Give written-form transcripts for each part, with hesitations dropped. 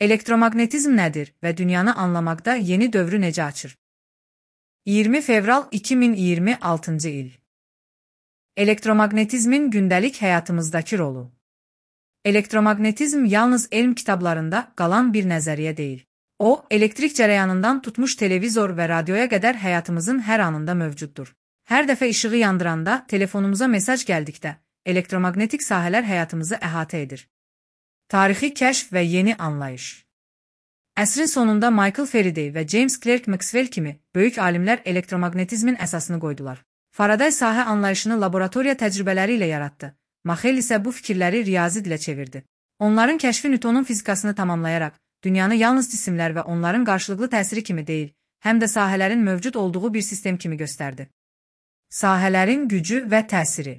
Elektromagnetizm nədir və dünyanı anlamaqda yeni dövrü necə açır? 20 fevral 2026-cı il. Elektromagnetizmin gündəlik həyatımızdakı rolu. Elektromagnetizm yalnız elm kitablarında qalan bir nəzəriyyə deyil. O, elektrik cərəyanından tutmuş televizor və radioya qədər həyatımızın hər anında mövcuddur. Hər dəfə işığı yandıranda, telefonumuza mesaj gəldikdə, elektromagnetik sahələr həyatımızı əhatə edir. Tarixi kəşf və yeni anlayış. Əsrin sonunda Michael Faraday və James Clerk Maxwell kimi böyük alimlər elektromagnetizmin əsasını qoydular. Faraday sahə anlayışını laboratoriya təcrübələri ilə yaratdı. Maxwell isə bu fikirləri riyazi dilə çevirdi. Onların kəşfi Newtonun fizikasını tamamlayaraq, dünyanı yalnız cisimlər və onların qarşılıqlı təsiri kimi deyil, həm də sahələrin mövcud olduğu bir sistem kimi göstərdi. Sahələrin gücü və təsiri.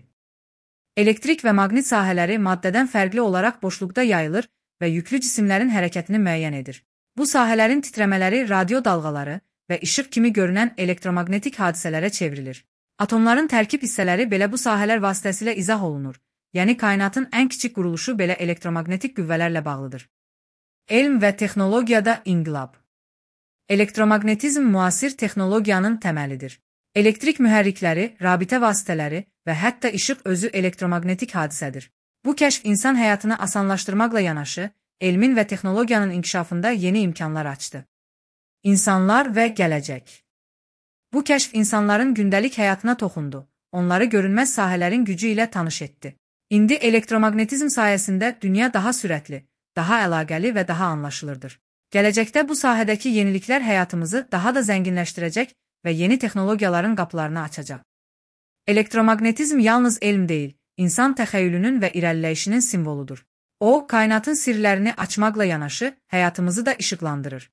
Elektrik və maqnit sahələri maddədən fərqli olaraq boşluqda yayılır və yüklü cisimlərin hərəkətini müəyyən edir. Bu sahələrin titrəmələri radio dalğaları və işıq kimi görünən elektromagnetik hadisələrə çevrilir. Atomların tərkib hissələri belə bu sahələr vasitəsilə izah olunur, yəni kainatın ən kiçik quruluşu belə elektromagnetik qüvvələrlə bağlıdır. Elm və texnologiyada inqilab. Elektromagnetizm müasir texnologiyanın təməlidir. Elektrik mühərrikləri, rabitə vasitələri və hətta işıq özü elektromagnetik hadisədir. Bu kəşf insan həyatını asanlaşdırmaqla yanaşı, elmin və texnologiyanın inkişafında yeni imkanlar açdı. İnsanlar və gələcək. Bu kəşf insanların gündəlik həyatına toxundu, onları görünməz sahələrin gücü ilə tanış etdi. İndi elektromagnetizm sayəsində dünya daha sürətli, daha əlaqəli və daha anlaşılırdır. Gələcəkdə bu sahədəki yeniliklər həyatımızı daha da zənginləşdirəcək və yeni texnologiyaların qapılarını açacaq. Elektromagnetizm yalnız elm deyil, insan təxəyyülünün və irəliləyişinin simvoludur. O, kainatın sirlərini açmaqla yanaşı, həyatımızı da işıqlandırır.